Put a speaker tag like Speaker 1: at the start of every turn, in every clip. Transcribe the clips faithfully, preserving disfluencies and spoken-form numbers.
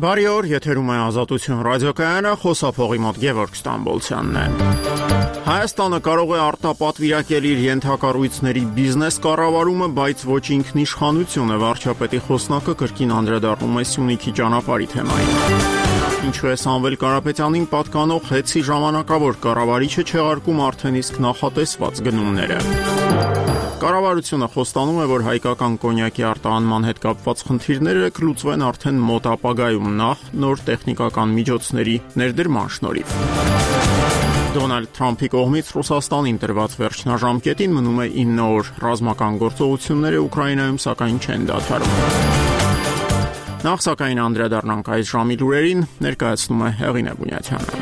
Speaker 1: Բարի օր, եթերում է Ազատություն ռադիոկայանը, խոսափողի մոտ Գևորգ Ստամբոլցյանն է։ Հայաստանը կարող է արտապատվիրակել իր ենթակառույցների բիզնես կառավարումը, բայց ոչ ինքնիշխանությունը, վարչապետի խոսնակը կրկին անդրադառնում է Սյունիքի ճանապարհի թեմային։ Ինչու է Սամվել Կարապետյանին պատկանող ՀԵՑ-ի ժամանակավոր կառավարիչը չեղարկում արդեն իսկ նախատեսված գնումները։ Կառավարությունը խոստանում է, որ հայկական կոնյակի արտահանման հետ կապված խնդիրները կլուծվեն արդեն մոտ ապագայում, նախ նոր տեխնիկական միջոցների ներդրման շնորհիվ։ Դոնալդ Թրամփի կողմից Ռուսաստանին տրված վերջնաժամկետին մնում է ինը օր, ռազմական գործողությունները Ուկրաինայում սակայն չեն դադարում։ Նախ սակայն անդրադառնանք այս ժամի լուրերին, ներկայացնում է Հեղինե Բունյաթյանը։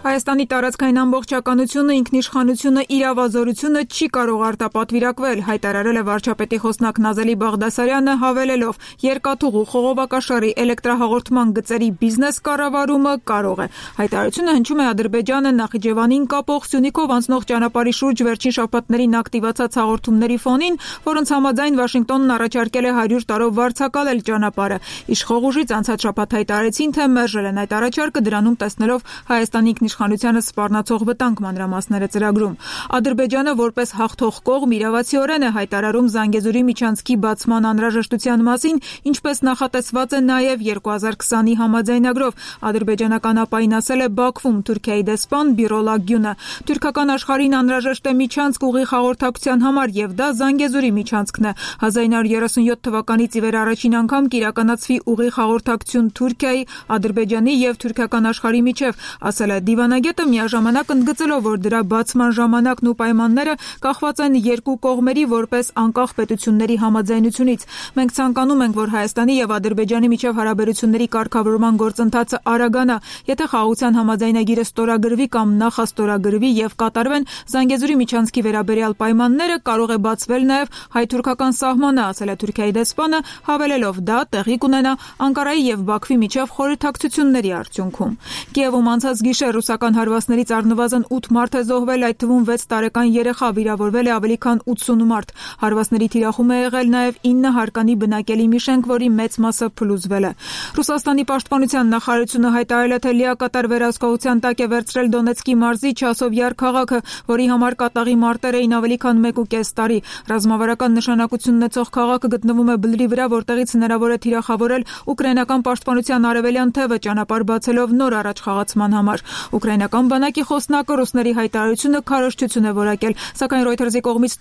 Speaker 2: Հայաստանի տարածքային ամբողջականությունը, ինքնիշխանությունը, իրավազորությունը չի կարող արտապատվիրակվել, հայտարարել է վարչապետի խոսնակ Նազելի Բաղդասարյանը, հավելելով. երկաթուղու, խողովակաշարի, էլեկտրահաղորդման գծերի բիզնես կառավարումը կարող է։ Հայտարարությունը հնչում է Ադրբեջանը Նախիջևանին կապող Սյունիքով անցնող ճանապարհի շուրջ վերջին շաբաթներին ակտիվացած հաղորդումների ֆոնին, որոնց համաձայն Վաշինգտոնն առաջարկել է հարյուր տարով վարձակալել ճանապարհը։ Իշխող ուժից անցած շաբաթ հայտարարեցին, թե մերժել են այդ առաջարկը, դրանում տեսնելով Հայաստանի ինքնիշխանությանը սպառնացող վտանգ, մանրամասները ծրագրում։ Ադրբեջանը որպես հաղթող կողմ իրավացիորեն է հայտարարում Զանգեզուրի միջանցքի բացման անհրաժեշտության մասին, ինչպես նախատեսված է նաև երկու հազար քսանի համաձայնագրով։ Ադրբեջանական ԱՊԱ-ին ասել է Բաքվում Թուրքիայի դեսպան Բիրոլ Ագյունը։ Թուրքական աշխարհին անհրաժեշտ է միջանցք ուղիղ հաղորդակցության համար, եւ դա Զանգեզուրի միջանցքն է։ հազար ինը հարյուր երեսունյոթ թվականից ի վեր առաջին անգամ կիրականացվի ուղիղ հաղորդակցություն Թուրքիայի, Ադրբեջանի եւ թուրքական աշխարհի միջև, ասել է Դիվանագետը, միաժամանակ ընդգծելով, որ դրա բացման ժամանակն ու պայմանները կախված են երկու կողմերի որպես անկախ պետությունների համաձայնությունից։ Մենք ցանկանում ենք, որ Հայաստանի եւ Ադրբեջանի միջև հարաբերությունների կարգավորման գործընթացը արագանա։ Եթե խաղաղության համաձայնագիրը ստորագրվի կամ նախաստորագրվի եւ կատարվեն Զանգեզուրի միջանցքի վերաբերյալ պայմանները, կարող է բացվել նաեւ հայ-թուրքական սահմանը, ասել է Թուրքիայի դեսպանը, հավելելով, դա տեղի կունենա Անկարայի եւ Բաքվի միջև խորհրդակցությունների արդյունքում։ Կիևում անցած գիշեր ռուսական հարվածներից առնվազն ութ մարդ է զոհվել, այդ թվում վեց տարեկան երեխա, վիրավորվել է ավելի քան ութսուն մարդ։ Հարվածների թիրախում է եղել նաև ինը հարկանի բնակելի մի շենք, որի մեծ մասը փլուզվել է։ Ռուսաստանի պաշտպանության նախարարությունը հայտարարել է, թե լիակատար վերահսկողության տակ է վերցրել Դոնեցկի մարզի Չասովյար քաղաքը, որի համար կատաղի մարտեր էին ավելի քան մեկ ու կես տարի։ Ռազմավարական նշանակություն ունեցող քաղաքը գտնվում է բլրի վրա, որտեղից հնարավոր է թիրախավորել ուկրաինական պաշտպանության արևելյան թևը, ճանապարհ բացելով նոր առաջխաղացման համար։ Ուկրաինական բանակի խոսնակը ռուսների հայտարարությունը քարոզչություն է որակել, սակայն Reuters-ի կողմից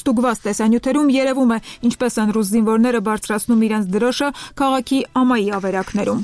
Speaker 2: ստուգված տեսանյութերում երևում է, ինչպես են ռուս զինվորները բարձրացնում իրենց դրոշը քաղաքի ամայի ավերակներում։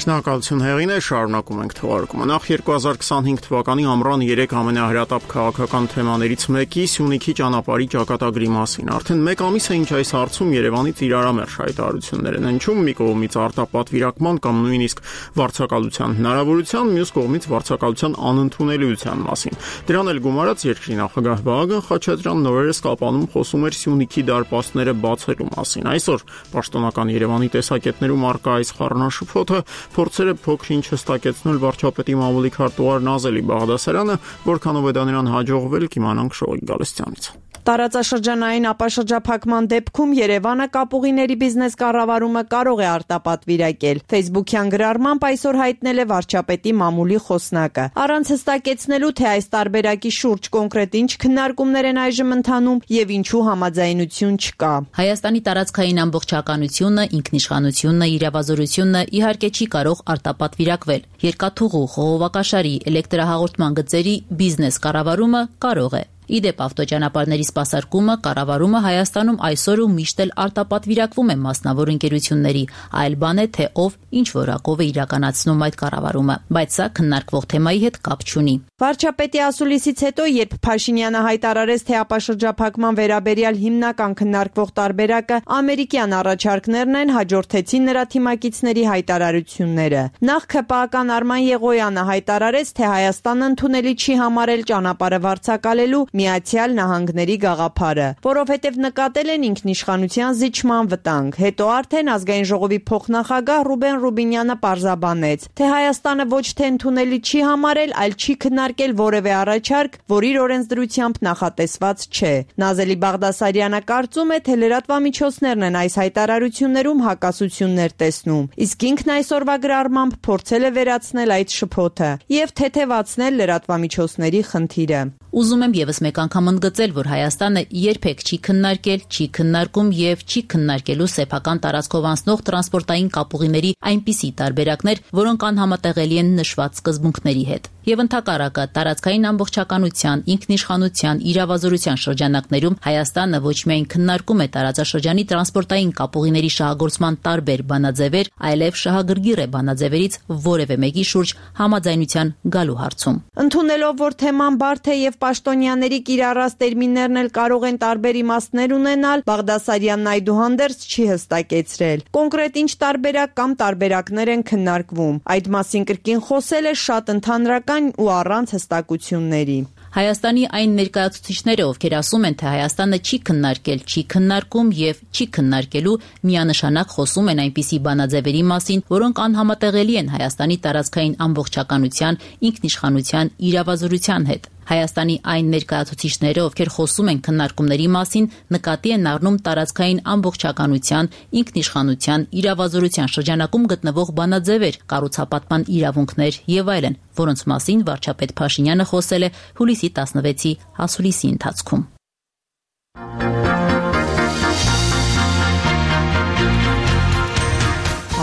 Speaker 1: Շնորհակալություն Հեղինե, շարունակում ենք թողարկումը։ Նախ երկու հազար քսանհինգ թվականի ամռան երեք ամենահրատապ քաղաքական թեմաներից մեկի Սյունիքի ճանապարհի ճակատագրի մասին։ Արդեն մեկ ամիս է, ինչ այս հարցում Երևանից իրարամերժ հայտարարություններ են հնչում, մի կողմից արտապատվիրակման կամ նույնիսկ վարձակալության հնարավորության, մյուս կողմից վարձակալության անընդունելիության մասին։ Դրան էլ գումարած երկրի նախագահ Վահագն Խաչատրյանն օրերս կապանում խոսում էր Սյունիքի դարպասները բացելու մասին։ Այսօր պաշտոնական Երևանի տեսակետներում առկա այս խառնաշփոթը փորձեր է փոքր-ինչ հստակեցնել վարչապետի մամուլի քարտուղար Նազելի Բաղդասարյանը, որքանով է դա նրան հաջողվել, կիմանանք Շողիկ Գալստյանից։
Speaker 3: Տարածաշրջանային ապաշրջափակման դեպքում Երևանը կապուղիների բիզնես կառավարումը կարող է արտապատվիրակել։ Facebook-յան գրառմամբ այսօր հայտնել է վարչապետի մամուլի խոսնակը։ Առանց հստակեցնելու, թե այս տարբերակի շուրջ կոնկրետ ինչ քննարկումներ են այժմ ընթանում եւ ինչու համաձայնություն չկա։
Speaker 4: Հայաստանի տարածքային ամբողջականությունը, ինքնիշխանությունը, իրավազորությունը իհարկե չի կարող արտապատվիրակվել։ Երկաթուղու, խողովակաշարի, էլեկտրահաղորդման գծերի բիզնես կառավարումը կարող է։ Իդեպ ավտոճանապարհների սպասարկումը, կառավարումը Հայաստանում այսօր ու միշտ էլ արտապատվիրակվում է մասնավոր ընկերությունների, այլ բան է, թե ով ինչ որակով է իրականացնում այդ կառավարումը, բայց սա քննարկվող թեմայի հետ կապ չունի։
Speaker 3: Վարչապետի ասուլիսից հետո, երբ Փաշինյանը հայտարարեց, թե ապաշրջափակման վերաբերյալ հիմնական քննարկվող տարբերակը ամերիկյան առաջարկներն են, հաջորդեցին նրա թիմակիցների հայտարարությունները։ Նախ ՔՊԱ-ական Արման Եղոյանը հայտարարեց, թե Հայաստանը ընդունելի չի համարել ճանապարհը վարձակալելու Միացյալ Նահանգների գաղափարը, որովհետև նկատել են ինքնիշխանության զիջման վտանգ։ Հետո արդեն ազգային ժողովի փոխնախագահ Ռուբեն Ռուբինյանը պարզաբանեց, թե Հայաստանը ոչ թե ընդունելի չի համարել, այլ չի քննարկել որևէ առաջարկ, որ իր օրենսդրությամբ նախատեսված չէ։ Նազելի Բաղդասարյանը կարծում է, թե լրատվամիջոցներն են այս հայտարարություններում հակասություններ տեսնում, իսկ ինքն այսօրվա գրառմամբ փորձել է վերացնել այդ շփոթը եւ թեթեվացնել լրատվամիջոցների խնդիրը։
Speaker 4: Ուզում եմ եւս մեկ անգամ ընդգծել, որ Հայաստանը երբեք չի քննարկել, չի քննարկում եւ չի քննարկելու սեփական տարածքով անցնող տրանսպորտային կապուղիների այնպիսի տարբերակներ, որոնք անհամատեղելի են նշված սկզբունքների հետ։ Եվ ընդհակառակը տարածքային ամբողջականության, ինքնիշխանության, իրավազորության շրջանակներում Հայաստանը ոչ միայն քննարկում է տարածաշրջանի տրանսպորտային կապուղիների շահագործման տարբեր բանաձևեր, այլև շահագրգիռ է բանաձևերից որևէ մեկի շուրջ համաձայնության գալու հարցում։
Speaker 3: Ընդունելով, որ թեման բարդ է եւ պաշտոնյաների կիրառած տերմիններն էլ կարող են տարբեր իմաստներ ունենալ, Բաղդասարյանն այդուհանդերձ չի հստակեցրել։ Կոնկրետ ինչ տարբերակ կամ տարբերակներ են քննարկվում։ Այդ մասին կրկին խոսել է շատ ընդհանրական ու առանց հստակությունների։
Speaker 4: Հայաստանի այն ներկայացուցիչները, ովքեր ասում են, թե Հայաստանը չի քննարկել, չի քննարկում եւ չի քննարկելու, միանշանակ խոսում են այնպիսի բանաձևերի մասին, որոնք անհամատեղելի են Հայաստանի տարածքային ամբողջականության, ինքնիշխանության, իրավազորության հետ։ Հայաստանի այն ներկայացուցիչները, ովքեր խոսում են քննարկումների մասին, նկատի են առնում տարածքային ամբողջականության, ինքնիշխանության, իրավազորության շրջանակում գտնվող բանաձևեր, կառուցապատման իրավունքներ եւ այլն, որոնց մասին վարչապետ Փաշինյանը խոսել է հուլիսի տասնվեցի հասուլիսի ընթացքում։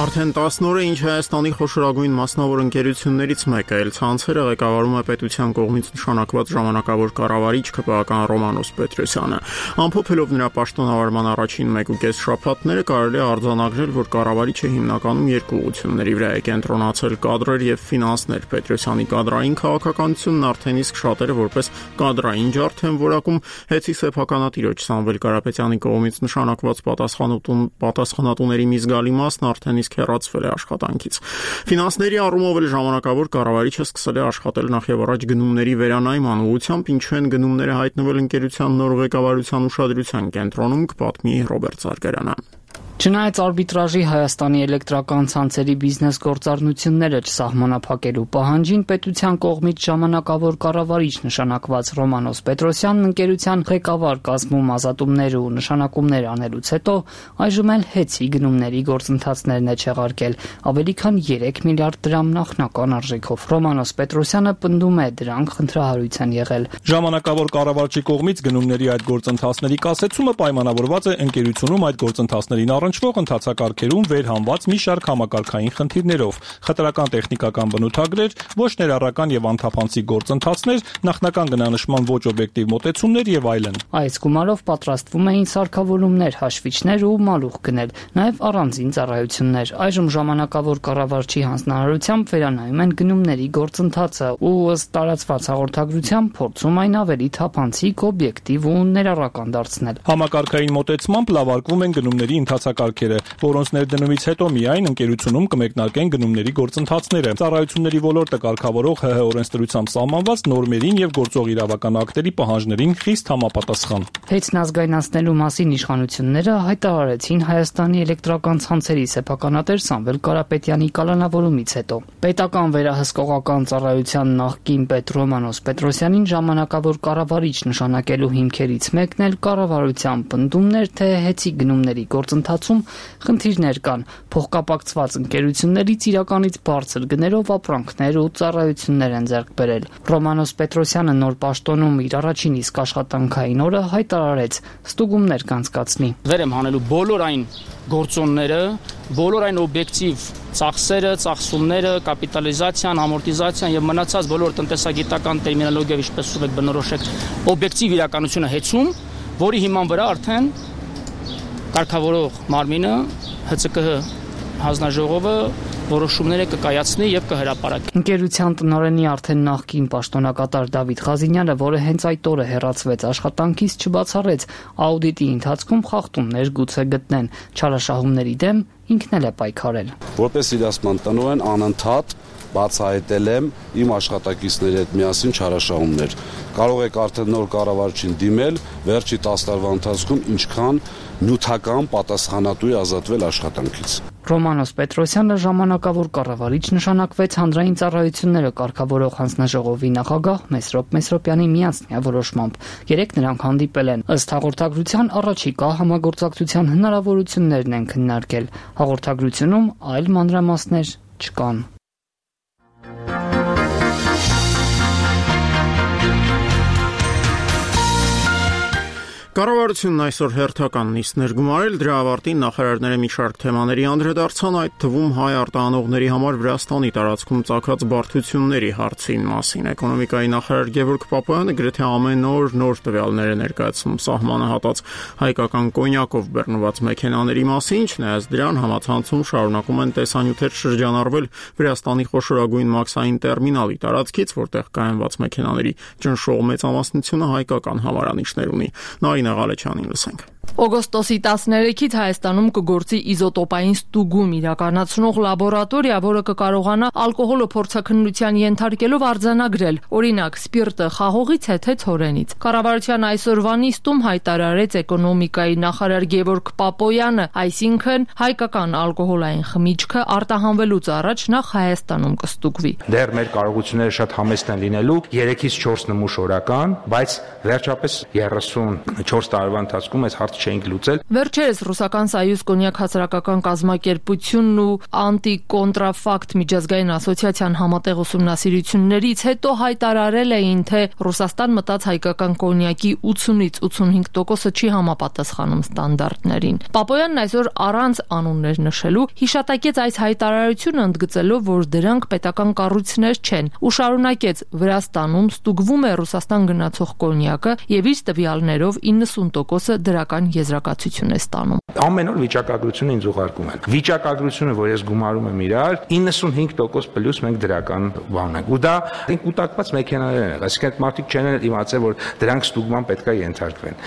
Speaker 1: Արդեն տասն օր է, ինչ Հայաստանի խոշորագույն մասնավոր ընկերություններից մեկը էլ ցանցերը ղեկավարում է պետության կողմից նշանակված ժամանակավոր կառավարիչ ՔՊԱ Ռոմանոս Պետրոսյանը։ Ամփոփելով նրա պաշտոնավարման առաջին մեկ ու կես շաբաթները կարելի է արձանագրել, որ կառավարիչը հիմնականում երկու ուղղությունների վրա է կենտրոնացել՝ կադրեր եւ ֆինանսներ։ Պետրոսյանի կադրային քաղաքականությունն արդեն իսկ շատերը որպես կադրային ջարդ են որակում, հեծի սեփականատիրոջ Սամվել Կարապետյանի կողմից նշանակված պատասխանատուների մի զգալի մասն արդեն իսկ հեռացվել է աշխատանքից։ Ֆինանսների առումով էլ ժամանակավոր կառավարիչը սկսել է աշխատել նախևառաջ գնումների վերանայման ուղղությամբ, ինչու են գնումները հայտնվել ընկերության նոր ղեկավարության ուշադրության կենտրոնում, կպատմի Ռոբերտ Զարգարյանը։
Speaker 5: Չնայած արբիտրաժի Հայաստանի էլեկտրական ցանցերի բիզնես գործառնությունները չսահմանափակելու պահանջին, պետության կողմից ժամանակավոր կառավարիչ նշանակված Ռոմանոս Պետրոսյանն ընկերության ղեկավար կազմում ազատումներ ու նշանակումներ անելուց հետո այժմ էլ հեծի գնումների գործընթացներն է չեղարկել ավելի քան երեք միլիարդ դրամ նախնական արժեքով։ Ռոմանոս Պետրոսյանը պնդում է, դրանք խնդրահարույց են եղել։
Speaker 6: Ժամանակավոր կառավարչի կողմից գնումների այդ գործընթացների կասեցումը պայմանավորված է ընկերությունում այդ գործընթացներին առնչվող ընթացակարգերում վերհանված մի շարք համակարգային խնդիրներով, խտրական տեխնիկական բնութագրեր, ոչ ներառական եւ անթափանցիկ գործընթացներ, նախնական գնանշման ոչ օբյեկտիվ մոտեցումներ եւ այլն։
Speaker 5: Այս գումարով պատրաստվում էին սարքավորումներ, հաշվիչներ ու մալուխ գնել, նաեւ առանձին ծառայություններ։ Այժմ ժամանակավոր կառավարչի հանձնարարությամբ վերանայում են գնումների գործընթացը ու ըստ տարածված հաղորդագրության փորձում այն ավելի թափանցիկ, օբյեկտիվ ու ներառական դարձնել։
Speaker 6: Համակարգային մոտեցմամբ լավարկվում են գնումների ընթացակարգերը, որոնց ներդնումից հետո միայն ընկերությունում կմեկնարկեն գնումների գործընթացները։ Ծառայությունների ոլորտը կարգավորող ՀՀ օրենսդրությամբ սահմանված նորմերին եւ գործող իրավական ակտերի պահանջներին խիստ համապատասխան։
Speaker 5: Հեծն ազգայնացնելու մասին իշխանությունները հայտարարեցին Հայաստանի էլեկտրական ցանցերի սեփականատեր Սամվել Կարապետյանի կալանավորումից հետո։ Պետական վերահսկողական ծառայության նախկին պետ Ռոմանոս Պետրոսյանին ժամանակավոր կառավարիչ նշանակելու հիմքերից մեկն էլ կառավարության պնդումներ, թե հեծի գնումների գործընթացում խնդիրներ կան, փոխկապակցված ընկերություններից իրականից բարձր գներով ապրանքներ ու ծառայություններ են ձեռք բերել։ Ռոմանոս Պետրոսյանը նոր պաշտոնում իր առաջին իսկ աշխատանքային օրը հայտարարեց ստուգումներ կանցկացնի։
Speaker 7: Վեր եմ հանելու բոլոր այն գործոնները, բոլոր այն օբյեկտիվ ծախսերը, ծախսումները, կապիտալիզացիան, ամորտիզացիան եւ մնացած բոլոր տնտեսագիտական տերմինոլոգիայով ինչպես ուզում եք բնորոշեք, օբյեկտիվ իրականությունը հեծում, որի հիման վրա արդեն կարգավորող մարմինը ՀՑԿՀ հանձնաժողովը որոշումները կկայացնի եւ կհրապարակի։
Speaker 5: Ընկերության տնօրենի արդեն նախկին պաշտոնակատար Դավիթ Ղազինյանը, որը հենց այդ օրը հեռացվեց աշխատանքից, չբացառեց աուդիտի ընթացքում խախտումներ գուցե գտնեն, չարաշահումների դեմ ինքն էլ է պայքարել։
Speaker 8: Որպես իրացման տնօրեն անընդհատ բացահայտել եմ իմ աշխատակիցների հետ միասին չարաշահումներ։ Կարող եք արդեն նոր կառավարչին դիմել, վերջի տասը տարվա ընթացքում ինչքան նյութական պատասխանատու է ազատվել աշխատանքից։
Speaker 5: Ռոմանոս Պետրոսյանը ժամանակավոր կառավարիչ նշանակվեց հանրային ծառայությունները կարգավորող հանձնաժողովի նախագահ Մեսրոպ Մեսրոպյանի միանձնյա որոշմամբ։ Երեք նրանք հանդիպել են։ Ըստ հաղորդագրության առաջիկա համագործակցության հնարավորություններն են քննարկել։ Հաղորդագրությունում այլ մանրամասներ չկան։
Speaker 1: Կառավարությունն այսօր հերթական նիստներ գումարել, դրա ավարտին նախարարները մի շարք թեմաների անդրադարձան, այդ թվում հայ արտահանողների համար Վրաստանի տարածքում ծագած բարդությունների հարցին մասին։ Էկոնոմիկայի նախարար Գևորգ Պապոյանը գրեթե ամեն օր նոր տվյալներ է ներկայացնում սահմանը հատած հայկական կոնյակով բեռնված մեքենաների մասին, չնայած դրան համացանցում շարունակում են տեսանյութեր շրջանառվել Վրաստանի խոշորագույն մաքսային տերմինալի տարածքից, որտեղ կայանված մեքենաների ճնշող մեծամասնությունը հայկական համարանիշներ ունի։ Նարինե Ղալեչյանին լսենք։
Speaker 9: Օգոստոսի տասներեքից Հայաստանում կգործի իզոտոպային ստուգում իրականացնող լաբորատորիա, որը կկարողանա ալկոհոլը փորձաքննության ենթարկելով արձանագրել, օրինակ, սպիրտը խաղողից է թե ցորենից։ Կառավարության այսօրվա նիստում հայտարարեց էկոնոմիկայի նախարար Գևորգ Պապոյանը, այսինքն հայկական ալկոհոլային խմիչքը արտահանվելուց առաջ նախ Հայաստանում կստուգվի։
Speaker 10: Դեռ մեր կարողությունները շատ համեստ են լինելու երեքից չորս նմուշ օրական, բայց վերջապես երեսունչորս տարվա ընթացքում այս հարցը չենք լուծել։
Speaker 9: Վերջերս ռուսական Սայյուզ կոնյակ հասարակական կազմակերպությունն ու անտիկոնտրաֆակտ միջազգային ասոցիացիան համատեղ ուսումնասիրություններից հետո հայտարարել էին, թե Ռուսաստան մտած հայկական կոնյակի ութսունից ութսունհինգ տոկոսը չի համապատասխանում ստանդարտներին։ Պապոյանն այսօր առանց անուններ նշելու հիշատակեց այս հայտարարությունը, ընդգծելով, որ դրանք պետական կառույցներ չեն, ու շարունակեց. Վրաստանում ստուգվում է Ռուսաստան գնացող կոնյակը եւ իր տվյալներով իննսուն տոկոսը դրական եզրակացություն է ստանում։
Speaker 10: Ամեն օր վիճակագրությունը ինձ ուղարկում են։ Վիճակագրությունը, որ ես գումարում եմ իրար, իննսունհինգ տոկոս պլյուս մենք դրական բան ենք։ Ու դա կուտակված մեքենաներ են, այսինքն մարդիկ չեն իմացել, որ դրանք ստուգման պետք է ենթարկվեն։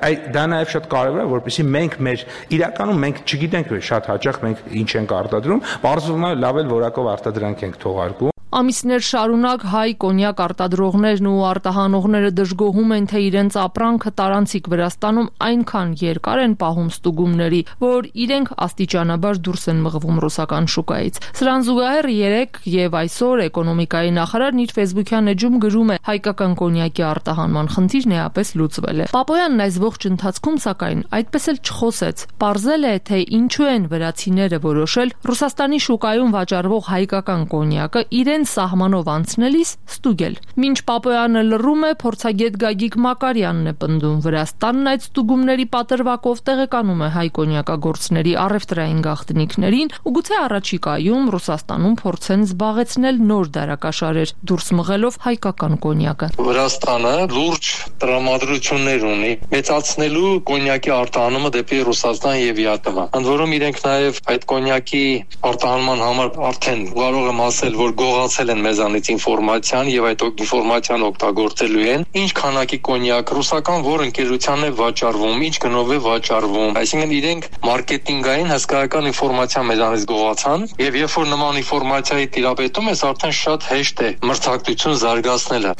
Speaker 10: Այդ դա նաև շատ կարևոր է, որպեսզի մենք մեր իրականում մենք չգիտենք շատ հաճախ մենք ինչ ենք արտադրում, բարձրում է լավ էլ որակով արտադրանք ենք թողարկում։
Speaker 9: Ամիսներ շարունակ հայ կոնյակ արտադրողներն ու արտահանողները դժգոհում են, թե իրենց ապրանքը տարանցիկ Վրաստանում այնքան երկար են պահում ստուգումների, որ իրենք աստիճանաբար դուրս են մղվում ռուսական շուկայից։ Սրան զուգահեռ երեք եւ այսօր էկոնոմիկայի նախարարն իր ֆեյսբուքյան էջում գրում է. հայկական կոնյակի արտահանման խնդիրն էապես լուծվել է։ Պապոյանն այս ողջ ընթացքում սակայն այդպես էլ չխոսեց։ Պարզել է, թե ինչու են վրացիները որոշել Ռուսաստանի շուկայում վաճառվող հայկական կոնյակը իրեն սահմանով անցնելիս ստուգել։ Մինչ Պապոյանը լռում է, փորձագետ Գագիկ Մակարյանն է պնդում. Վրաստանն այդ ստուգումների պատրվակով տեղեկանում է հայ կոնյակագործների առևտրային գաղտնիքներին ու գուցե առաջիկայում Ռուսաստանում փորձեն զբաղեցնել նոր դարակաշարեր, դուրս մղելով հայկական կոնյակը։
Speaker 11: Վրաստանը լուրջ տրամադրություններ ունի մեծացնելու կոնյակի արտահանումը դեպի Ռուսաստան եւ ԵԱՏՄ։ Ընդ որում իրենք նաեւ այդ կոնյակի արտահանման համար արդեն կարող եմ ասել, որ գողացել են մեզանից ինֆորմացիան եւ այդ ինֆորմացիան օգտագործելու են, ինչ քանակի կոնյակ ռուսական որ ընկերությանն է վաճառվում, ինչ գնով է վաճառվում։ Այսինքն իրենք մարքեթինգային հսկայական ինֆորմացիա մեզանից գողացան եւ երբ որ նման ինֆորմացիայի տիրապետում ես, արդեն շատ հեշտ է մրցակցություն զարգացնելը։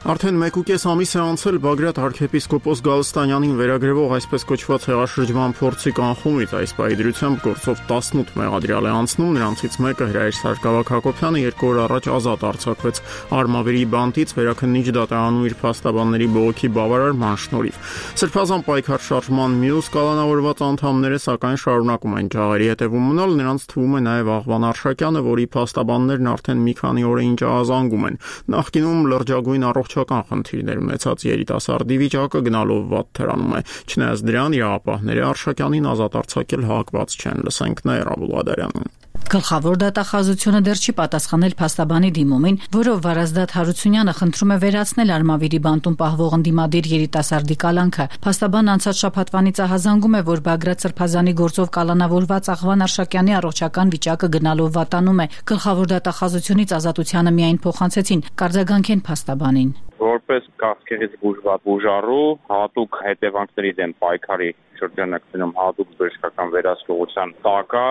Speaker 1: Արդեն մեկուկես ամիս է անցել Բագրատ arczepiskopos Գալստանյանին վերագրվող այսպես կոչված հեղաշրջման փորձի կանխումից, այս պայդրությամբ գործով տասնութ մեղադրյալ է անցնում, նրանցից մեկը Հրայր Սարգսակ Հակոբյանը երկու օր առաջ ազատ արձակվեց Արմավիրի բանտից վերաքննիչ դատարանում իր փաստաբանների բողոքի բավարարման շնորհիվ։ Սրբազան պայքար շարժման մյուս կալանավորված անդամները սակայն շարունակում են ջահերի հետևում մնալ, նրանց թվում է նաև Աղվան Արշակյանը, որի փաստաբաններն արդեն մի քանի օր է ինչ ահազանգում են։ Նախկինում լրջագույն առողջ խնդիրներ ունեցած երիտասարդի վիճակը գնալով վատ թրանում է, չնայած դրան իրավապահները Արշակյանին ազատ արձակել հակված չեն, լսենք Նաիրա Բուլղադարյանին։
Speaker 4: Գլխավոր դատախազությունը դեռ չի պատասխանել փաստաբանի դիմումին, որով Վարազդատ Հարությունյանը խնդրում է վերացնել Արմավիրի բանտում պահվող ընդդիմադիր երիտասարդի կալանքը։ Փաստաբանն անցած շաբաթվանից ահազանգում է, որ Բագրատ Սրբազանի գործով կալանավորված Աղվան Արշակյանի առողջական վիճակը գնալով վատանում է։ Գլխավոր դատախազությունից ազատությանը միայն փոխանցեցին, կարձագանքեն փաստաբանին։
Speaker 12: որպես քաղցկեղից բուժված բուժառու հատուկ հետևանքների դեմ պայքարի շրջանակներում հատուկ բժշկական վերահսկողության տակ է,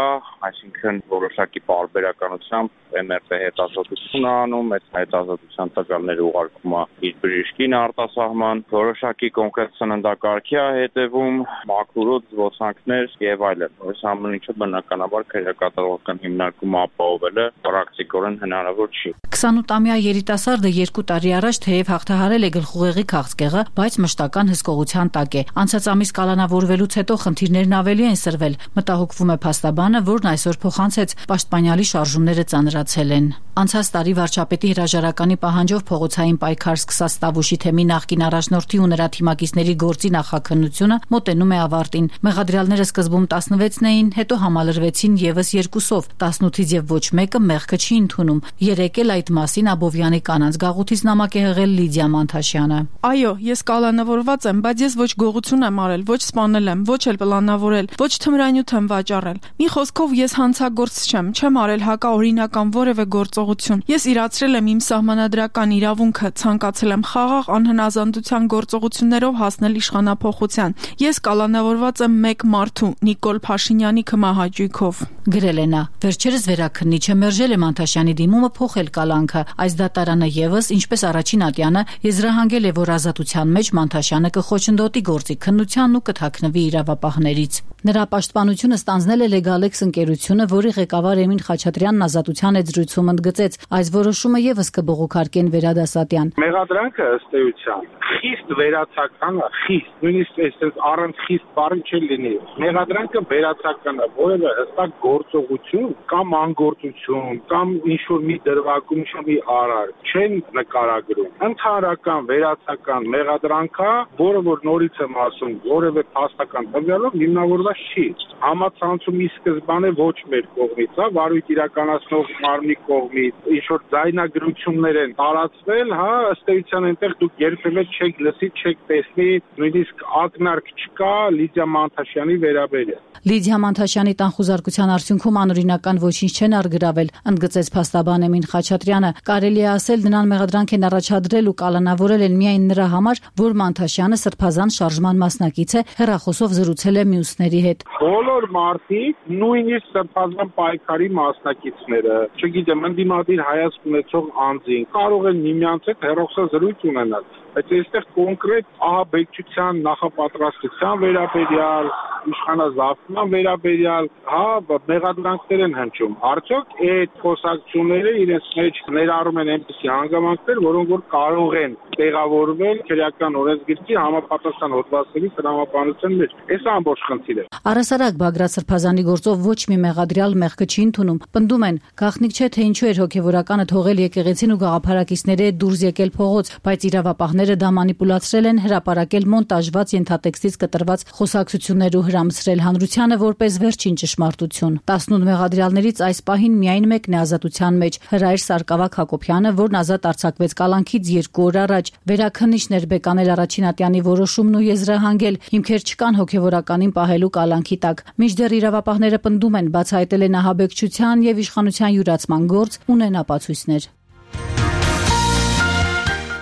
Speaker 12: այսինքն որոշակի պարբերականությամբ էմ էր տե հետազոտություն անում, այդ հետազոտության տվյալները ուղարկում է իր բժշկին արտասահման, որոշակի կոնկրետ սննդակարգի է հետևում, մաքուրոց, զբոսանքներ եւ այլն։ Այս ամեն ինչը բնականաբար քերակատարողական հիմնարկումը ապահովելը պրակտիկորեն հնարավոր չի։
Speaker 4: քսանութամյա երիտասարդը երկու տարի առաջ թեև հաղթահարել է գլխուղեղի քաղցկեղը, բայց մշտական հսկողության տակ է։ Անցած ամիս կալանավորվելուց հետո խնդիրներն ավելի են սրվել։ Մտահոգվում է փաստաբանը, որն այսօր փոխանցեց պաշտպանյալի շարժումները ծանրացել են։ Անցած տարի վարչապետի հրաժարականի պահանջով փողոցային պայքար սկսած Տավուշի թեմի նախկին առաջնորդի ու նրա թիմակիցների գործի նախաքննությունը մոտենում է ավարտին։ Մեղադրյալները սկզբում տասնվեցն էին, հետո համալրվեցին եւս երկուսով, տասնութից եւ ոչ մեկը մեղքը չի ընդունում։ Երեկ էլ այդ մասին Աբովյանի կանանց գաղութից նամակ է հղել Լիդիա Մանթաշյանը։
Speaker 13: Այո, ես կալանավորված եմ, բայց ես ոչ գողություն եմ արել, ոչ սպանել եմ, ոչ էլ պլանավորել, ոչ թմրանյութ եմ վաճառել։ Մի խոսքով ես հանցագործ չեմ, չեմ արել հակաօրինական որևէ գործողություն։ Ես իրացրել եմ իմ սահմանադրական իրավունքը, ցանկացել եմ խաղաղ անհնազանդության գործողություններով հասնել իշխանափոխության։ Ես կալանավորված եմ մեկ մարդու՝ Նիկոլ Փաշինյանի քմահաճույքով։
Speaker 4: Գրել է նա։ Վերջերս վերաքննիչը մերժել է Մանթաշյանի դիմումը փոխել կալանքը։ Այս դատարանը եւս, ինչպես առաջին ատյանը, եզրահանգել է, որ ազատության մեջ Մանթաշյանը կխոչընդոտի գործի քննությանն ու կթաքնվի իրավապահներից։ Նրա պաշտպանությունը ստանձնել է Լեգալեքս ընկերությունը, որի ղեկավար Էմին Խաչատրյանն ազատության հետ զրույցում ընդգծեց, այս որոշումը եւս կբողոքարկեն Վերադասատյան։
Speaker 10: Մեղադրանքը ըստ էության խիստ վերացական է, խիստ, նույնիսկ այսպես առանց խիստ բառի չի լինի։ Մեղադրանքը վերացական է, որևէ հստակ գործողություն կամ անգործություն կամ ինչ-որ մի դրվագում, ինչ-որ մի արար չեն նկարագրում։ Ընդհանրական վերացական մեղադրանք է, որը որ նորից եմ ասում, որևէ փաստական տվյալով հիմնավորված չի։ Համացանցումի սկզբանե ոչ մեր կողմից, հա, վարույթ իրականացնող մարմնի կողմից, ինչ-որ ձայնագրություններ են տարածվել, հա, ըստ էության այնտեղ դուք երբևէ չեք լսի, չեք տեսնի, նույնիսկ ակնարկ չկա Լիդիա Մանթաշյանի վերաբերյալ։
Speaker 4: Լիդիա Մանթաշյանի տան խուզարկության արդյունքում անօրինական ոչինչ չեն արգրավել, ընդգծեց փաստաբան Էմին Խաչատրյանը։ Կարելի է ասել, նրան մեղադրանք են առաջադրել ու կալանավորել են միայն նրա համար, որ Մանթաշյանը սրբազան շարժման մասնակից է, հեռախոսով զրուցել է մյուսների հետ։
Speaker 10: Բոլոր մարդիկ, նույնիսկ սրբազան պայքարի մասնակիցները, չգիտեմ, ընդդիմադիր հայացք ունեցող անձին, կարող են միմյանց հետ հեռախոսազրույց ունենալ, բայց այստեղ կոնկրետ ահաբեկչության նախապատրաստության վերաբերյալ, իշխանազավթման վերաբերյալ, հա, մեղադրանքներ են հնչում։ Արդյոք այդ խոսակցությունները իրենց մեջ ներառում են այնպիսի հանգամանքներ, որոնք որ կարող են տեղավորվել քրեական օրենսգրքի համապատասխան հոդվածների տրամաբանության մեջ։ Այս ամբողջ խնդիրը։
Speaker 4: Առասարակ Բագրատ Սրբազանի գործով ոչ մի մեղադրյալ մեղքը չի ընդունում։ Պնդում են, գաղտնիք չէ, թե ինչու էր հոգևորականը թողել եկեղեցին ու գաղափարակիցների հետ դուրս եկել փողոց, բայց իրավապահները դա մանիպուլացրել են, հրապարակել մոնտաժված ենթատեքստից կտրված խոսակցություններ ու հրամցրել հանրությանը որպես վերջին ճշմարտություն։ տասնութ մեղադրյալներից այս պահին միայն մեկն է ազատության մեջ՝ Հրայր Սարգսակ Հակոբյանը, որն ազատ արձակվեց կալանքից երկու օր առաջ։ Վերաքննիչն էր բեկանել առաջին ատյանի որոշումն ու եզրահանգել, հիմքեր չկան հոգևորականին պահելու կալանքի տակ։ Մինչդեռ իրավապահները պնդում են, բացահայտել են ահաբեկչության եւ իշխանության յուրացման գործ, ունեն ապացույցներ։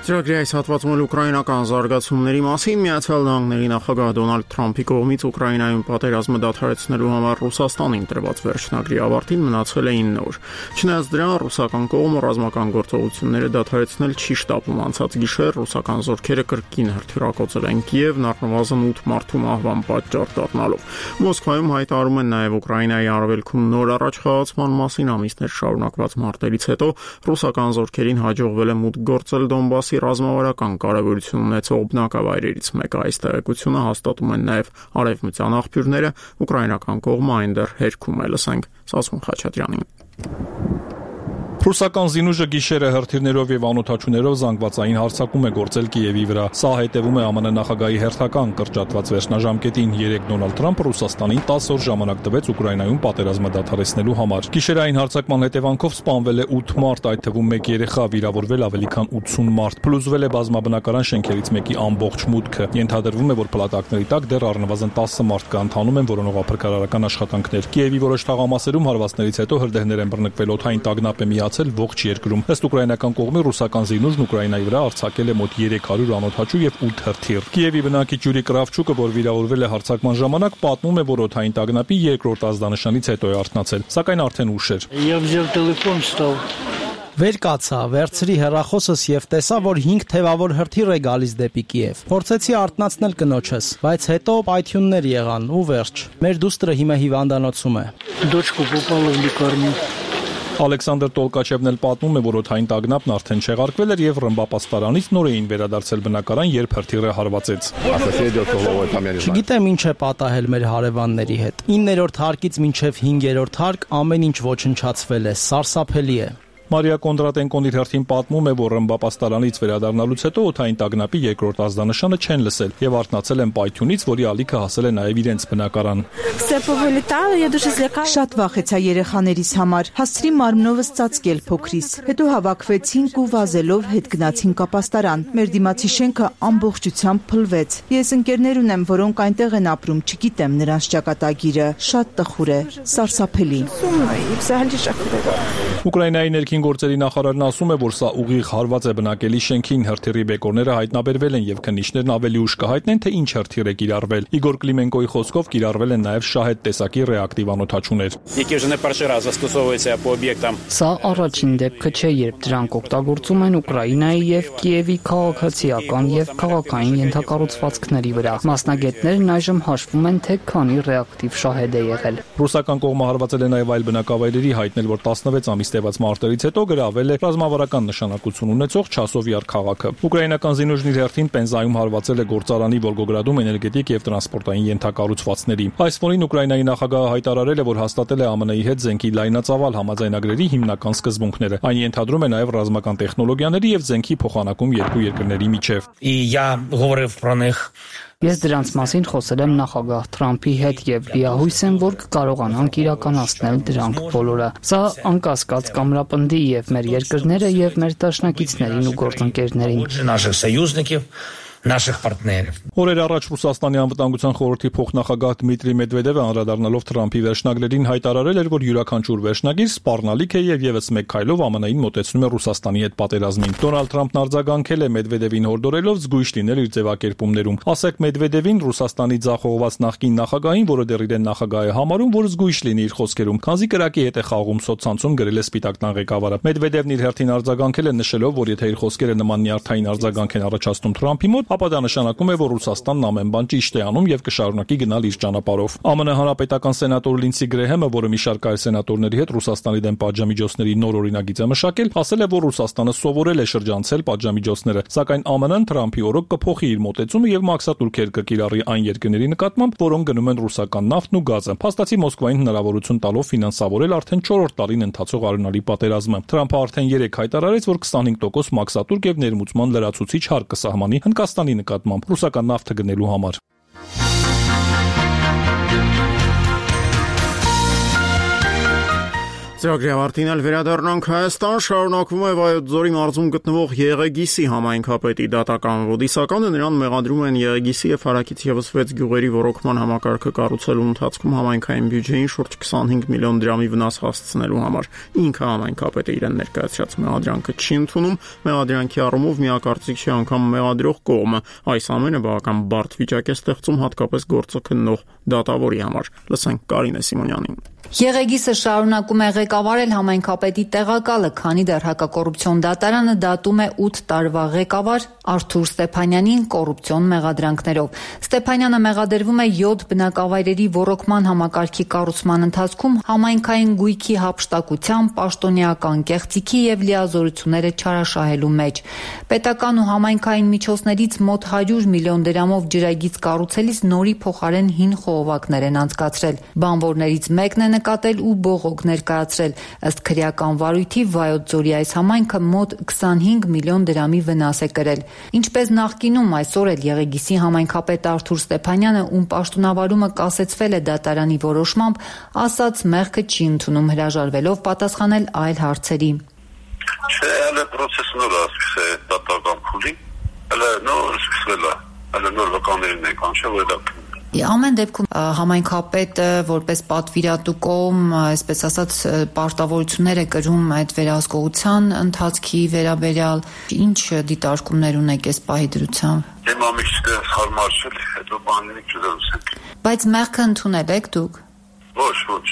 Speaker 1: Ծրագրի այս հատվածում էլ ուկրաինական զարգացումների մասին Միացյալ Նահանգների նախագահ Դոնալդ Թրամփի կողմից Ուկրաինայում պատերազմը դադարեցնելու համար Ռուսաստանին տրված վերջնագրի ավարտին մնացել էին նոր։ Չնայած դրան, ռուսական կողմը ռազմական գործողությունները դադարեցնել չի շտապում։ Անցած գիշեր ռուսական զորքերը կրկին հրթիռակոծել են Կիևն առնվազն ութ մարդու մահվան պատճառ դառնալով։ Մոսկվայում հայտարարում են նաև Ուկրաինայի արևելքում նոր առաջխաղացման մասին ամիսներ շարունակված մարտերից հետո ռուսական զորքերին հաջողվել է մուտք գործել Դոնբասի ռազմավարական կարևորություն ունեցող բնակավայրերից մեկը։ Այս տեղեկությունը հաստատում են նաև արևմտյան աղբյուրները, ուկրաինական կողմը այն դեռ հերքում է։ Լսենք Սասուն Խաչատրյանին։
Speaker 6: Ռուսական զինուժը գիշերը հրթիռներով եւ անօդաչուներով զանգվածային հարձակում է գործել Կիևի վրա։ Սա հետևում է ԱՄՆ նախագահի հերթական կրճատված վերջնաժամկետին։ Երեկ Դոնալդ Թրամփը Ռուսաստանին տասը օր ժամանակ տվեց Ուկրաինայում պատերազմը դադարեցնելու համար։ Գիշերային հարձակման հետևանքով սպանվել է ութ մարդ, այդ թվում մեկ երեխա, վիրավորվել ավելի քան ութսուն մարդ։ Փլուզվել է բազմաբնակարան շենքերից մեկի ամբողջ մուտքը։ Ենթադրվում է, որ փլատակների տակ դեռ առնվազն տասը մարդ կա, ընթանում են որոնողափրկարարական աշխատանքներ։ Կիևի որոշ թաղամասերում հարվածներից հետո հրդեհներ են բռնկվել, օդային տագնապ է միացել տարածել ողջ երկրում։ Ըստ ուկրաինական կողմի ռուսական զինուժն Ուկրաինայի վրա արձակել է մոտ երեք հարյուր անօդաչու եւ ութ հրթիռ։ Կիևի բնակիչ Յուրի Կրավչուկը, որ վիրավորվել է հարձակման ժամանակ, պատմում է, որ օդային տագնապի երկրորդ ազդանշանից հետո է արթնացել, սակայն արդեն ուշ էր։
Speaker 14: Վեր կացա, վերցրի հեռախոսս եւ տեսա, որ հինգ թևավոր հրթիռ է գալիս դեպի Կիև։ Փորձեցի արթնացնել կնոջս, բայց հետո պայթյուններ եղան ու վերջ։ Մեր դուստրը հիմա հիվանդանոցում է։
Speaker 6: Ալեքսանդր Տոլկաչևն էլ պատմում է, որ օդային տագնապն արդեն չեղարկվել էր եւ ռմբապաստարանից նոր էին վերադարձել բնակարան, երբ հրթիռը հարվածեց։
Speaker 14: Չգիտեմ ինչ է պատահել մեր հարևանների հետ։ իններորդ հարկից մինչև հինգերորդ հարկ ամեն ինչ ոչնչացվել է, սարսափելի է։
Speaker 6: Մարիա Կոնդրատենկոն իր հերթին պատմում է, որ ռմբապաստարանից վերադառնալուց հետո օդային տագնապի երկրորդ ազդանշանը չեն լսել եւ արթնացել են պայթյունից, որի ալիքը հասել է նաեւ իրենց բնակարան։
Speaker 15: Շատ վախեցա երեխաներիս համար, հասցրի մարմնովս ծածկել փոքրիս, հետո հավաքվեցինք ու վազելով հետ գնացինք ապաստարան։ Մեր դիմացի շենքը ամբողջությամբ փլվեց։ Ես ընկերներ ունեմ, որոնք այնտեղ են ապրում, չգիտեմ նրանց ճակատագիրը, շատ տխուր է, սարսափելի։
Speaker 6: Ուկրաինայի ներքին գործերի նախարարն ասում է, որ սա ուղիղ հարված է բնակելի շենքին, հրթիռի բեկորները հայտնաբերվել են եւ քննիչներն ավելի ուշ կհայտնեն, թե ինչ հրթիռ է կիրառվել։ Իգոր Կլիմենկոյի խոսքով կիրառվել են նաեւ շահեդ տեսակի ռեակտիվ անօդաչուներ։
Speaker 5: Սա առաջին դեպքը չէ, երբ դրանք օգտագործում են Ուկրաինայի եւ Կիևի քաղաքացիական եւ քաղաքային ենթակառուցվածքների վրա։ Մասնագետներն այժմ հաշվում են, թե քանի ռեակտիվ շահեդ է եղել։
Speaker 6: Ռուսական կողմը հարվածել է նաեւ այլ բնակավայրերի, հայտնել, որ տասնվեց ամիս տևած մարտերից հետո գրավել է ռազմավարական նշանակություն ունեցող Չասովյար քաղաքը։ Ուկրաինական զինուժն իր հերթին Պենզայում հարվածել է գործարանի Վոլգոգրադում էներգետիկ եւ տրանսպորտային ենթակառուցվածքների։ Այս ֆոնին Ուկրաինայի նախագահը հայտարարել է, որ հաստատել է ԱՄՆ-ի հետ զենքի լայնածավալ համաձայնագրերի հիմնական սկզբունքները։ Այն ենթադրում է նաեւ ռազմական տեխնոլոգիաների եւ զենքի փոխանակում երկու երկրների միջև։
Speaker 5: Ես դրանց մասին խոսել եմ նախագահ Թրամփի հետ եւ լիահույս եմ, որ կկարողանանք իրականացնել դրանք բոլորը։ Սա անկասկած կամրապնդի եւ մեր երկրները եւ մեր դաշնակիցներին ու գործընկերներին։
Speaker 6: Օրեր առաջ Ռուսաստանի անվտանգության խորհրդի փոխնախագահ Դմիտրի Մեդվեդևը անդրադառնալով Թրամփի վերջնագրերին հայտարարել էր, որ յուրաքանչյուր վերջնագիր սպառնալիք է եւ եւս մեկ քայլով ԱՄՆ-ին մոտեցնում է Ռուսաստանի հետ պատերազմին։ Դոնալդ Թրամփն արձագանքել է Մեդվեդևին հորդորելով զգույշ լինել իր ձևակերպումներում։ Ասեք Մեդվեդևին, Ռուսաստանի ձախողված նախկին նախագահին, որը դեռ իրեն նախագահ է համարում, որ զգույշ լինի իր խոսքերում, քանզի կրակի հետ է խաղում սոցցանցում գրել է Սպիտակ տան ղեկավարը։ Մեդվեդևն իր հերթին արձագանքել է նշելով, որ եթե իր խոսքերը նման նյարդային արձագանք են առաջացնում Թրամփի մոտ, ապա դա նշանակում է, որ Ռուսաստանն ամեն բան ճիշտ է անում եւ կշարունակի գնալ իր ճանապարհով։ ԱՄՆ հանրապետական սենատոր Լինսի Գրեհեմը, որը մի շարք այլ սենատորների հետ Ռուսաստանի դեմ պատժամիջոցների նոր օրինագիծ է մշակել, ասել է, որ Ռուսաստանը սովորել է շրջանցել պատժամիջոցները, սակայն ԱՄՆ-ն Թրամփի օրոք կփոխի իր մոտեցումը եւ մաքսատուրքեր կկիրառի այն երկրների նկատմամբ, որոնք գնում են ռուսական նավթն ու գազը։ Փաստացի Մոսկվային հնարավորություն տալով ֆինանսավորել արդեն չորրորդ տարին ընթացող արյունալի պատերազմը։ Թրամփը արդեն երեք հայտարարեց, որ քսանհինգ տոկոս մաքսատուրք եւ ներմուծման լրացուցիչ հարկ կսահմանի Հնդկաստանի նկատմամբ ռուսական նավթը գնելու համար։
Speaker 1: Ծրագրի ավարտին էլ վերադառնանք Հայաստան, շարունակվում է Վայոց ձորի մարզում գտնվող Եղեգիսի համայնքապետի դատական ոդիսականը, նրան մեղադրում են Եղեգիսի եւ հարակից եւս վեց գյուղերի ռոռոկման համակարգը կառուցելու ընթացքում համայնքային բյուջեին շուրջ քսանհինգ միլիոն դրամի վնաս հասցնելու համար։ Ինքը համայնքապետը իրեն ներկայացրած մեղադրանքը չի ընդունում, մեղադրանքի առումով միակարծիք չի անգամ մեղադրող կողմը։ Այս ամենը բավական բարդ վիճակ է ստեղծում հատկապես գործը քննող դատավորի համար։ Լսենք Կարինե Սիմոնյանին։
Speaker 16: Եղեգիսը շարունակում է ղեկավարել համայնքապետի տեղակալը, քանի դեռ հակակոռուպցիոն դատարանը դատում է ութ տարվա ղեկավար Արթուր Ստեփանյանին կոռուպցիոն մեղադրանքներով։ Ստեփանյանը մեղադրվում է յոթ բնակավայրերի ոռոգման համակարգի կառուցման ընթացքում համայնքային գույքի հափշտակությամբ, պաշտոնեական կեղծիքի եւ լիազորությունները չարաշահելու մեջ։ Պետական ու համայնքային միջոցներից մոտ հարյուր միլիոն դրամով ջրագիծ կառուցելիս նորի փոխարեն հին խողովակներ են անցկացրել։ Բանվորներից մեկն է նկատել ու բողոք ներկայացրել։ Ըստ քրեական վարույթի Վայոց ձորի այս համայնքը մոտ քսանհինգ միլիոն դրամի վնաս է կրել։ Ինչպես նախկինում, այսօր էլ Եղեգիսի համայնքապետ Արթուր Ստեփանյանը, ում պաշտոնավարումը կասեցվել է դատարանի որոշմամբ, ասաց մեղքը չի ընդունում, հրաժարվելով պատասխանել այլ հարցերի։
Speaker 17: Չէ, այլ պրոցեսը նոր է, սկսե դատական փուլի, այլ նոր սկսվել է, այլ նոր վկաներին է կանչել, որ դա
Speaker 16: Ամեն դեպքում համայնքապետը որպես պատվիրատու կողմ, այսպես ասած, պարտավորություններ է կրում այդ վերահսկողության ընթացքի վերաբերյալ, ինչ դիտարկումներ ունեք այս պահի դրությամբ։
Speaker 17: Դե մամիքստը հարմար չէ, հետո բանին չդրուսեք։
Speaker 16: Բայց մեղքը ընդունել եք դուք։
Speaker 17: Ոչ, ոչ։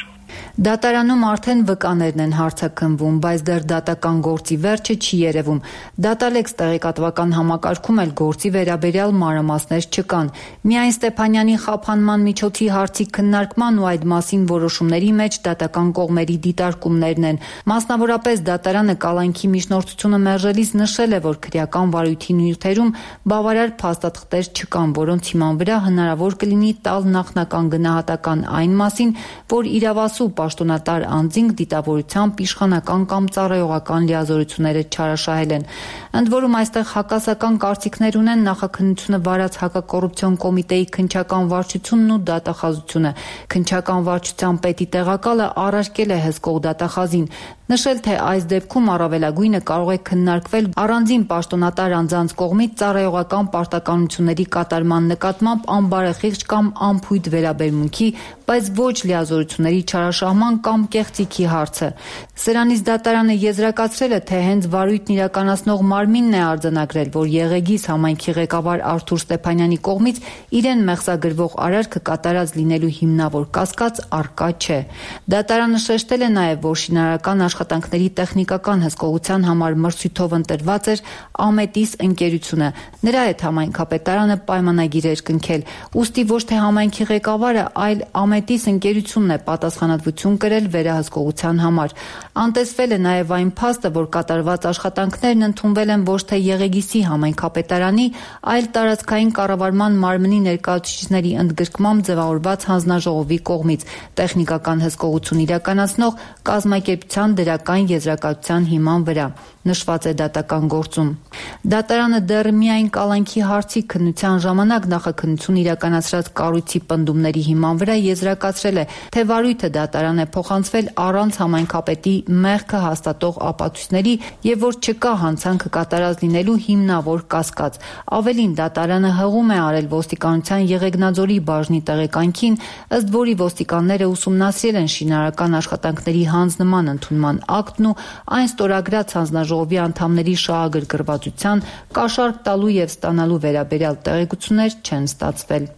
Speaker 16: Դատարանում արդեն վկաներն են հարցաքննվում, բայց դեռ դատական գործի վերջը չի երևում։ Դատալեքս տեղեկատվական համակարգում էլ գործի վերաբերյալ մանրամասներ չկան։ Միայն Ստեփանյանի խափանման միջոցի հարցի քննարկման ու այդ մասին որոշումների մեջ դատական կողմերի դիտարկումներն են։ Մասնավորապես դատարանը կալանքի միջնորդությունը մերժելիս նշել է, որ քրեական վարույթի նյութերում բավարար փաստաթղթեր չկան, որոնց հիման վրա հնարավոր կլինի տալ նախնական գնահատական այն մասին, որ իրավասու պաշտոնատար անձինք դիտավորությամբ իշխանական կամ ծառայողական լիազորությունները չարաշահել են։ Ընդ որում այստեղ հակասական կարծիքներ ունեն նախաքննությունը վարած հակակոռուպցիոն կոմիտեի քննչական վարչությունն ու դատախազությունը։ Քննչական վարչության պետի տեղակալը առարկել է հսկող դատախազին, նշել, թե այս դեպքում առավելագույնը կարող է քննարկվել առանձին պաշտոնատար անձանց կողմից ծառայողական պարտականությունների կատարման նկատմամբ անբարեխիղճ կամ անփույթ վերաբերմունքի, բայց ոչ լիազորությունների չարաշահման կամ կեղծիքի հարցը։ Սրանից դատարանը եզրակացրել է, թե հենց վարույթն իրականացնող մարմինն է արձանագրել, որ Եղեգիս համայնքի ղեկավար Արթուր Ստեփանյանի կողմից իրեն մեղսագրվող արարքը կատարած լինելու հիմնավոր կասկած առկա չէ։ Դատարանը շեշտել է նաև, որ շինարարական աշխատանքների տեխնիկական հսկողության համար մրցույթով ընտրված էր Ամետիս ընկերությունը։ Նրա հետ համայնքապետարանը պայմանագիր էր կնքել։ Ուստի ոչ թե համայնքի ղեկավարը, այլ Ամետիս ընկերությունն է պատասխանատվություն կրել վերահսկողության համար։ Անտեսվել է նաև այն փաստը, որ կատարված աշխատանքներն ընդունվել են ոչ թե Եղեգիսի համայնքապետարանի, այլ տարածքային կառավարման մարմնի ներկայացուցիչների ընդգրկմամբ ձևավորված հանձնաժողովի կողմից տեխնիկական հսկողություն իրականացնող կազմակերպության դրական եզրակացության հիման վրա, նշված է դատական գործում։ Դատարանը դեռ միայն կալանքի հարցի քննության ժամանակ նախաքննություն իրականացրած կառույցի պնդումների հիման վրա եզրակացրել է, թե վարույթը դատարան է փոխանցվել առանց համայնքապետի մեղքը հաստատող ապացույցների եւ որ չկա հանցանքը կատարած լինելու հիմնավոր կասկած։ Ավելին, դատարանը հղում է արել ոստիկանության Եղեգնաձորի բաժնի տեղեկանքին, ըստ որի ոստիկանները ուսումնասիրել են շինարարական աշխատանքների հանձնման ընդունման ակտն ու այն ստորագրած հանձնաժողովի անդամների շահագրգռվածության, կաշառք տալու եւ ստանալու վերաբերյալ տեղեկություններ չեն ստացվել։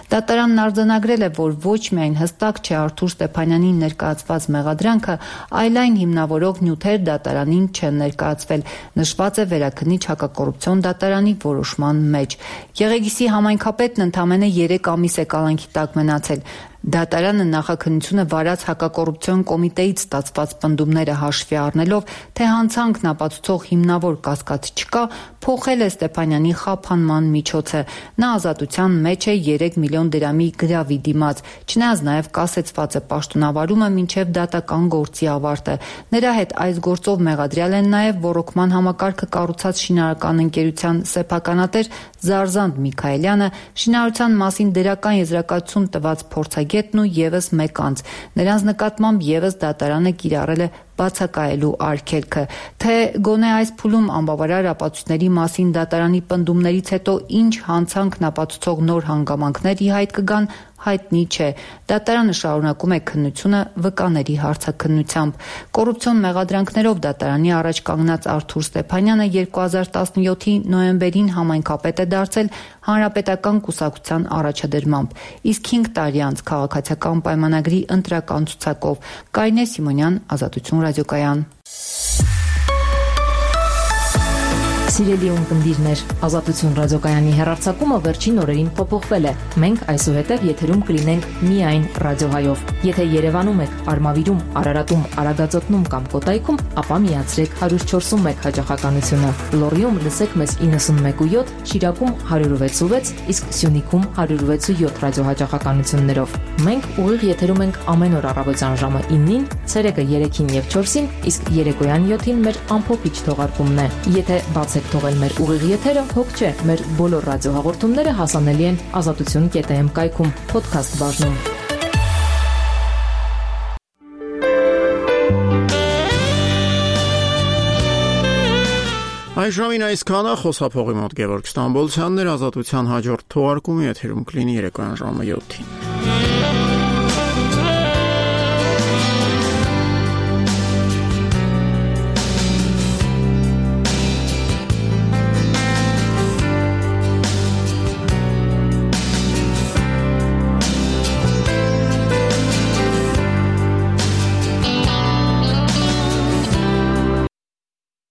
Speaker 16: Դատարանն արձանագրել է, որ ոչ միայն հստակ չէ Արթուր Ստեփանյանին ներկայացված մեղադրանքը, այլ այն հիմնավորող նյութեր դատարանին չեն ներկայացվել, նշված է վերաքննիչ հակակոռուպցիոն դատարանի որոշման մեջ։ Եղեգիսի համայնքապետն ընդամենը երեք ամիս է կալանքի տակ մնացել։ Դատարանը նախաքննությունը վարած հակակոռուպցիոն կոմիտեից ստացված պնդումները հաշվի առնելով, թե հանցանքն ապացուցող հիմնավոր կասկած չկա, փոխել է Ստեփանյանի խափանման միջոցը։ Նա ազատության մեջ է երեք միլիոն դրամի գրավի դիմաց, չնայած նաև կասեցված է պաշտոնավարումը մինչև դատական գործի ավարտը։ Նրա հետ այս գործով մեղադրյալ են նաև ոռոգման համակարգը կառուցած շինարարական ընկերության սեփականատեր Զարզանդ Միքայելյանը, շինարարության մասին դրական եզրակացություն տված փորձագետն ու եւս մեկ անձ։ Նրանց նկատմամբ եւս դատարանը կիրառել է բացակայելու արգելքը, թե գոնե այս փուլում անբավարար ապացույցների մասին դատարանի պնդումներից հետո ինչ հանցանքն ապացուցող նոր հանգամանքներ ի հայտ կգան, հայտնի չէ։ Դատարանը շարունակում է քննությունը վկաների հարցաքննությամբ։ Կոռուպցիոն մեղադրանքներով դատարանի առաջ կանգնած Արթուր Ստեփանյանը երկու հազար տասնյոթի նոյեմբերին համայնքապետ է դարձել հանրապետական կուսակցության առաջադրմամբ, իսկ հինգ տարի անց քաղաքացիական պայմանագրի ընտրական ցուցակով։ Կարինե Սիմոնյան, Ազատություն ռադիոկայան։
Speaker 18: Սիրելի ունկնդիրներ, Ազատություն ռադիոկայանի հեռարձակումը վերջին օրերին փոփոխվել է։ Մենք այսուհետև եթերում կլինենք միայն ռադիոհայով։ Եթե Երևանում եք, Արմավիրում, Արարատում, Արագածոտնում կամ Կոտայքում, ապա միացրեք հարյուր չորսուն մեկ հաճախականությունը։ Լոռիում լսեք մեզ իննսունմեկ ու յոթ, Շիրակում հարյուր վեց ու վեց, իսկ Սյունիքում հարյուր վեց ու յոթ ռադիոհաճախականություններով։ Մենք ուղիղ եթերում ենք ամեն օր առավոտյան ժամը իննին, ցերեկը երեքին եւ չորսին, իսկ երեկոյան յոթին մեր ամփոփիչ թողարկումն է։ Եթե բացեք թողել մեր ուղիղ եթերը, հոգ չէ, մեր բոլոր ռադիոհաղորդումները հասանելի են ազատություն կետ էմ կայքում, փոդքասթ բաժնում։
Speaker 1: Այս ժամին այսքանը, խոսափողի մոտ Գևորգ Ստամբոլցյանն էր, Ազատության հաջորդ թողարկումի եթերում կլինի երեկոյան ժամը յոթին։